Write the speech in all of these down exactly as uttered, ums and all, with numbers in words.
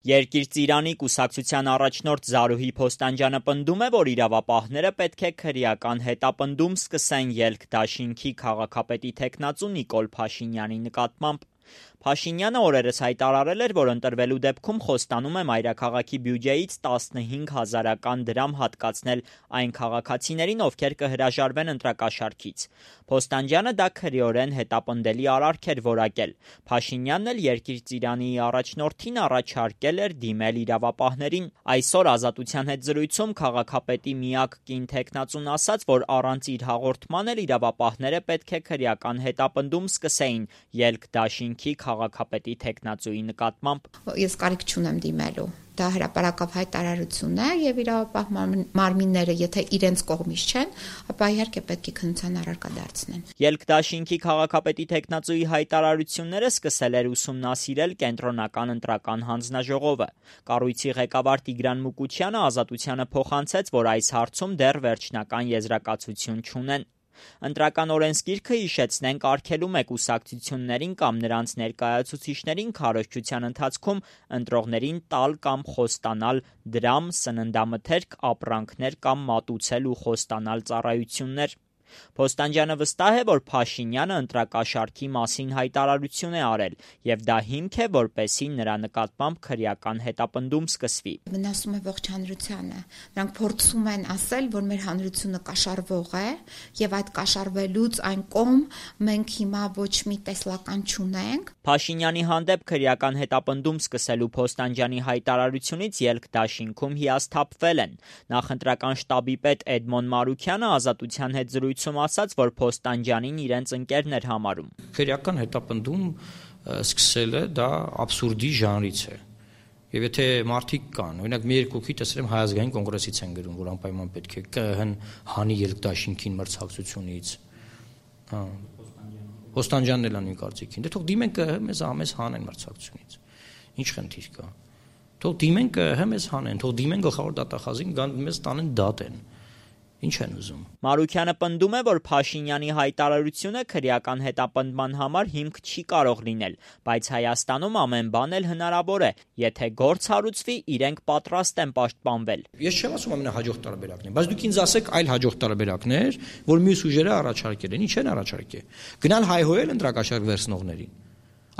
Երկիր-Ծիրանի կուսակցության առաջնորդ Զարուհի Փոստանջյանը պնդում է, որ իրավապահները պետք է քրեական հետապնդում սկսեն ելք-դաշինքի քաղաքապետի թեկնածու Նիկոլ Փաշինյանի նկատմամբ։ Փաշինյանը օրերս հայտարարել էր, որ ընտրվելու դեպքում խոստանում է մայրաքաղաքի բյուջեից տասնհինգ հազարական դրամ հատկացնել այն քաղաքացիներին, ովքեր կհրաժարվեն ընտրակաշառքից։ Փոստանջյանը դա քրեորեն հետապնդելի արարք էր որակել։ Փաշինյանն էլ Երկիր-Ծիրանի առաջնորդին առաջարկել էր դիմել իրավապահներին։ Այսօր Ազատության հետ զրույցում քաղաքապետի միակ կին թեկնածուն ասաց, որ առանց իր հաղորդման էլ իրավապահները պետք է քրեական հետապնդում սկսեին ելք-դաշինքի քաղաքապետի թեկնածուի նկատմամբ։ Ես կարիք չունեմ դիմելու։ Դա հրապարակավ հայտարարություն է եւ իրավապահ մարմինները, եթե իրենց կողմից չեն, ապա իհարկե պետք է քննության առարկա դարձնեն։ Ելք-դաշինքի քաղաքապետի թեկնածուի հայտարարությունները սկսել էր ուսումնասիրել կենտրոնական ընտրական հանձնաժողովը։ Կառույցի ղեկավար Տիգրան Մուկուչյանը Ազատությանը փոխանցեց, որ այս հարցում դեռ վերջնական եզրակացություն չունեն։ Ընտրական օրենսգիրքը, հիշեցնենք, արգելում է կուսակցություններին կամ նրանց ներկայացուցիչներին քարոզչության ընթացքում ընտրողներին տալ կամ խոստանալ դրամ, սննդամթերք, ապրանքներ կամ մատուցել ու խոստանալ ծառայություններ։ Փոստանջյանը վստահ է, որ Փաշինյանը ընտրակաշառքի մասին հայտարարություն է արել, եւ դա հիմք է, որպեսզի նրա նկատմամբ քրեական հետապնդում սկսվի։ Վնասում է ողջ հանրությանը։ Նրանք փորձում են ասել, որ մեր հանրությունը կաշառվող է, եւ այդ կաշառվելուց այն կողմ մենք հիմա ոչ մի տեսլական չունենք։ Փաշինյանի հանդեպ քրեական հետապնդում սկսելու Փոստանջյանի հայտարարությունից ելք-դաշինքում հիասթափվել են։ Նախընտրական շտաբի պետ Էդմոն Մարուքյանը Ազատության հետ զրույցում ասաց, որ Փոստանջյանին իրենց ընկերն էր համարում։ Քրեական հետապնդում սկսելը դա աբսուրդի ժանրից է։ Եվ եթե մարդիկ կան, օրինակ մի երկուքի տեսրեմ Հայ ազգային կոնգրեսից են գրում, որ անպայման պետք է ԿԸՀ-ն հանի ելք-դաշինքին մրցակցությունից։ Հա։ Փոստանջյանն էլ անի կարծիքին։ Դե թող դիմեն ԿԸՀ մեզ ամես հանեն մրցակցությունից։ Ինչ խնդիր կա։ Թող դիմեն ԿԸՀ մեզ հանեն, թող դիմեն գլխավոր դատախազին, գան մեզ տանեն դատեն։ Ինչ են ուզում։ Մարուքյանը պնդում է, որ Փաշինյանի հայտարարությունը քրեական հետապնդման համար հիմք չի կարող լինել, բայց Հայաստանում ամեն բան էլ հնարավոր է, եթե գործ հարուցվի, իրենք պատրաստ են պաշտպանվել։ Ես չեմ ասում ամենահաջող տարբերակն է, բայց դուք ինձ ասեք այլ հաջող տարբերակներ, որ մյուս ուժերը առաջարկել են, ինչ են առաջարկել։ Գնալ հայհոյել ընտրակաշառք վերցնողներին։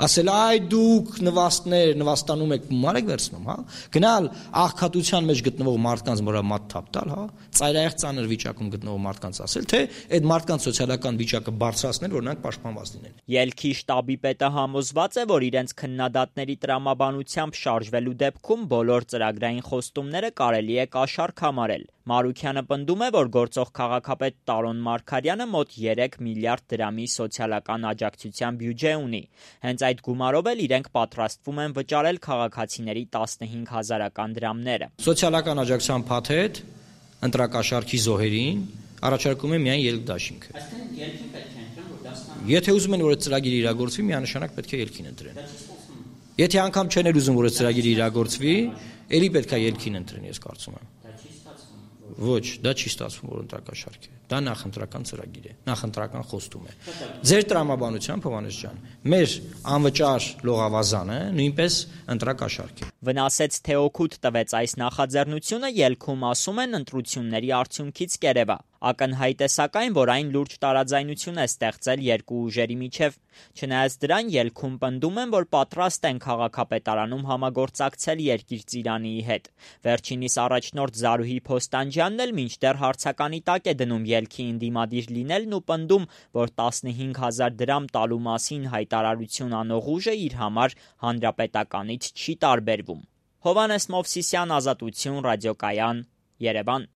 Ասել այ դուք նվաստներ, նվաստանում եք, գումար եք վերցնում, հա։ Գնալ աղքատության մեջ գտնվող մարդկանց վրա մատ թափ տալ, հա։ Ծայրահեղ ծանր վիճակում գտնվող մարդկանց ասել, թե այդ մարդկանց սոցիալական վիճակը բարձրացնել, որ նրանք պաշտպանված լինեն։ Ելքի շտաբի պետը համոզված է, որ իրենց քննադատների տրամաբանությամբ շարժվելու դեպքում բոլոր ծրագրային խոստումները կարելի է կաշառք համարել։ Մարուքյանը պնդում է, որ գործող քաղաքապետ Տարոն Մարգարյանը մոտ երեք միլիարդ դրամի սոցիալական աջակցության բյուջե ունի։ Հենց այդ գումարով էլ իրենք պատրաստվում են վճարել քաղաքացիների տասնհինգ հազարական դրամները։ Սոցիալական աջակցության փաթեթ ընտրակաշառքի զոհերին առաջարկում է միայն ելք-դաշինքը։ Այսինքն ելքին պետք է ընտրեն, որ դա ստանան։ Եթե ուզում են, որ այդ ծրագիրը իրագործվի, միանշանակ պետք է ելքին ընտրեն։ Եթե անգամ չեն ուզում, որ այդ ծրագիրը իրագործվի, ելի պետք է ելքին ընտրեն, ես կարծում եմ։ Ոչ, դա չի ստացվում, որ ընտրակաշառք է։ Դա նախընտրական ծրագիր է, նախընտրական խոստում է։ Ձեր տրամաբանությամբ, Հովհաննես ջան, մեր անվճար լողավազանը նույնպես ընտրակաշառք է։ Վնասեց, թե օգուտ տվեց այս նախաձեռնությունը, ելքում ասում են ընտրությունների արդյունքից կերևա։ Ակնհայտ է սակայն, որ այն լուրջ տարաձայնություն է ստեղծել երկու ուժերի միջև։ Չնայած դրան, ելքում պնդում են, որ պատրաստ են քաղաքապետարանում համագործակցել Երկիր-Ծիրանի հետ։ Վերջինիս առաջնորդ Զարուհի Փոստանջյանն էլ մինչդեռ հարցականի տակ է դնում ելքի ընդդիմադիր լինելն ու պնդում, որ տասնհինգ հազար դրամ տալու մասին հայտարարություն անող ուժը իր համար հանրապետականից չի տարբերվում։ Հովհաննես Մովսիսյան, Ազատություն, ռադիոկայան, Երևան։